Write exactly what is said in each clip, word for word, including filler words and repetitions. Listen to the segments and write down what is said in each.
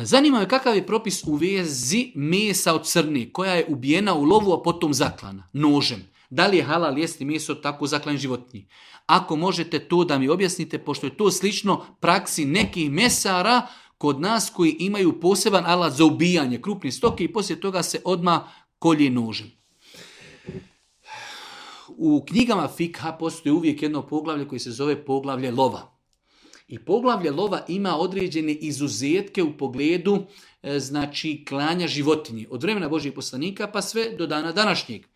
Zanima me kakav je propis u vezi mesa od crne koja je ubijena u lovu, a potom zaklana nožem. Da li je halal jesti meso od tako zaklanih životinji? Ako možete to da mi objasnite, pošto je to slično praksi nekih mesara kod nas koji imaju poseban alat za ubijanje krupne stoke i poslije toga se odmah kolje nožem. U knjigama fikha postoji uvijek jedno poglavlje koje se zove poglavlje lova. I poglavlje lova ima određene izuzetke u pogledu e, znači klanja životinje. Od vremena Božjih poslanika pa sve do dana današnjeg.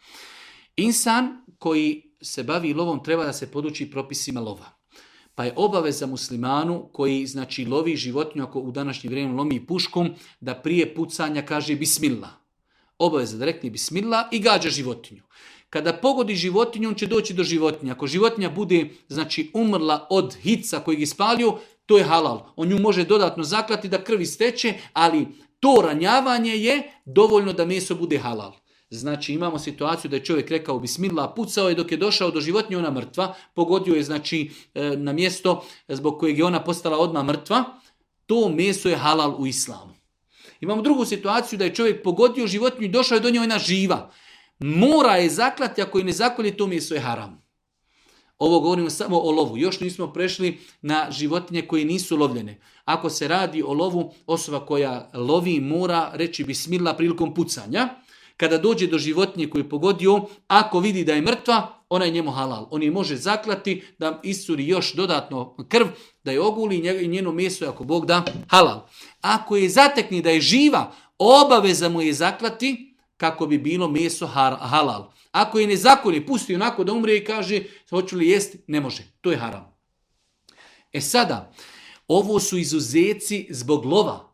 Insan koji se bavi lovom treba da se poduči propisima lova. Pa je obaveza muslimanu koji znači lovi životinju, ako u današnje vrijeme lomi puškom, da prije pucanja kaže bismillah. Obaveza da rekne bismillah i gađa životinju. Kada pogodi životinju, on će doći do životinja. Ako životinja bude znači umrla od hica kojeg je ispalio, to je halal. On nju može dodatno zaklati da krvi steče, ali to ranjavanje je dovoljno da meso bude halal. Znači imamo situaciju da je čovjek rekao bismillah, pucao je dok je došao do životinje, ona mrtva, pogodio je znači na mjesto zbog kojeg je ona postala odmah mrtva, to meso je halal u islamu. Imamo drugu situaciju da je čovjek pogodio životinju i došao je do nje, ona živa. Mora je zaklati, ako je ne zakolje, to meso je haram. Ovo govorimo samo o lovu. Još nismo prešli na životinje koje nisu lovljene. Ako se radi o lovu, osoba koja lovi mora reći bismillah prilikom pucanja. Kada dođe do životinje koju je pogodio, ako vidi da je mrtva, ona je njemu halal. On je može zaklati da iscuri još dodatno krv, da je oguli i njeno meso je, ako Bog da, halal. Ako je zatekni da je živa, obaveza mu je zaklati kako bi bilo meso halal. Ako je ne zakolje, pusti onako da umre i kaže hoću li jesti, ne može. To je haram. E sada, ovo su izuzeci zbog lova.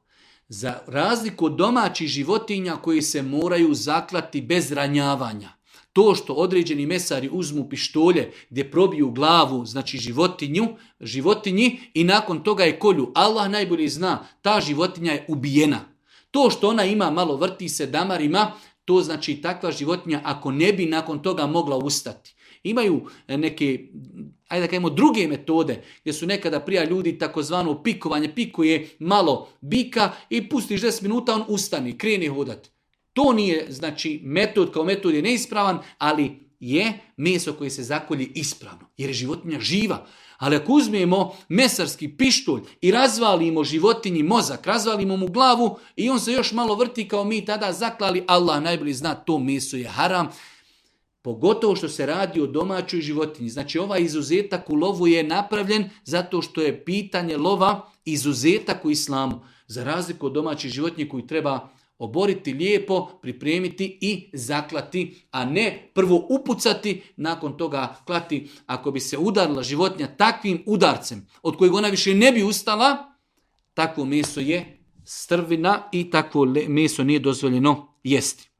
Za razliku od domaćih životinja koji se moraju zaklati bez ranjavanja. To što određeni mesari uzmu pištolje gdje probiju glavu, znači životinju, životinji i nakon toga je kolju. Allah najbolje zna, ta životinja je ubijena. To što ona ima, malo vrti se damarima, to znači takva životinja ako ne bi nakon toga mogla ustati. Imaju neke, ajde da kažemo, druge metode gdje su nekada prije ljudi takozvano pikovanje, pikuje malo bika i pustiš deset minuta, on ustane, krene hodati. To nije, znači, metod kao metod je neispravan, ali je meso koje se zakolje ispravno, jer je životinja živa. Ali ako uzmemo mesarski pištolj i razvalimo životinji mozak, razvalimo mu glavu i on se još malo vrti kao mi tada zaklali, Allah najbolje zna, to meso je haram. Pogotovo što se radi o domaćoj životinji. Znači ovaj izuzetak u lovu je napravljen zato što je pitanje lova izuzetak u islamu. Za razliku od domaćih životinje koju treba oboriti lijepo, pripremiti i zaklati, a ne prvo upucati, nakon toga klati. Ako bi se udarila životinja takvim udarcem od kojeg ona više ne bi ustala, takvo meso je strvina i takvo meso nije dozvoljeno jesti.